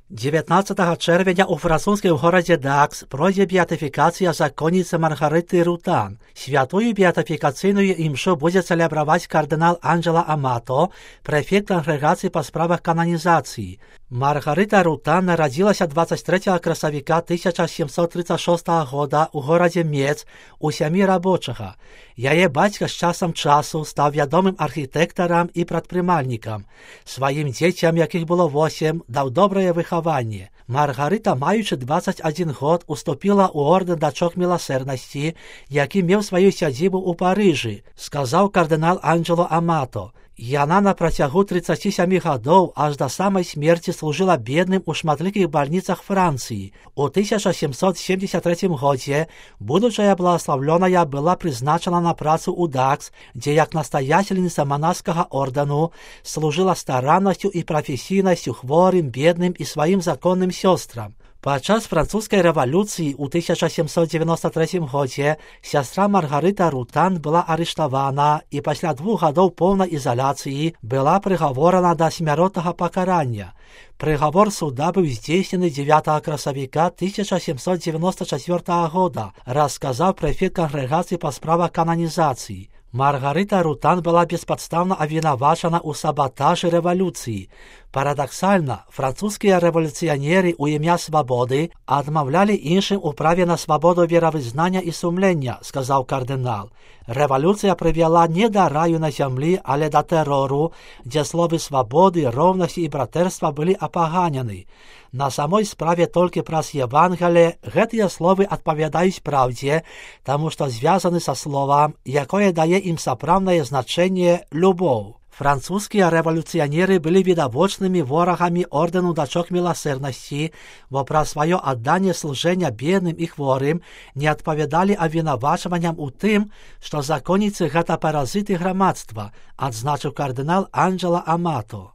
19 czerwca u francuskim городе Дакс пройdzie beatyfikacja zakonnicy Margaryty Rutan. Świętую beatyfikacyjną i mszę będzie celebrować kardynał Angelo Amato, prefekt kongregacji po sprawach kanonizacji. Margaryta Rutan narodziła się 23 красовика 1736 года у городе Мец у сям'ї рабочага. Яе бацька з часам часу став вядомым архітэктарам і прадпрымальнікам. Сваім дзецям, якіх было 8, даў добрае выхаванне. Маргарыта, маючы 21 год, уступіла ў ордэн дачок міласэрнасці, які меў сваю сядзібу ў Парыжы, сказаў кардынал Анджело Амато. Яна на працягу 37 гадоў аж да самай смерці служыла бедным у шматлікіх бальніцах Францыі. У 1773 годзе будучая благословленая была прызначана на працу ў Дакс, дзе як настоятельніца манаскага ордэну служыла стараннасцю і прафесійнасцю хворым, бедным і сваім законным сёстрам. Падчас французскай рэвалюцыі ў 1793 годзе сястра Маргарыта Рутан была арыштавана і пасля 2 гадоў поўнай ізаляцыі была прыгаворана да смяротнага пакарання. Прыгавор суда быў здзейснены 9 красавіка 1794 года, расказаў прэфект кангрэгацыі па справах кананізацыі. Маргарыта Рутан была беспадстаўна абвінавачана ў сабатажы рэвалюцыі. Парадаксальна, французскія рэвалюцыянеры ў імя свабоды адмаўлялі іншым у праве на свабоду веравызнання і сумлення, сказаў кардынал. Рэвалюцыя прывяла не да раю на зямлі, але да тэрору, дзе словы свабоды, роўнасці і братэрства былі апаганены. На самой справе толькі праз Евангелие гэтыя словы адпавядаюць праўдзе, таму што звязаны са словам, якое дае ім сапраўднае значэнне любоў. Французскія рэвалюцыянеры былі відавочнымі ворагамі ордэну дачок міласэрнасці, бо пра сваё адданне служэння бедным і хворым не адпавядалі абвінавачванням у тым, што законніцы гэта паразіты грамадства, адзначыў кардынал Анджело Амато.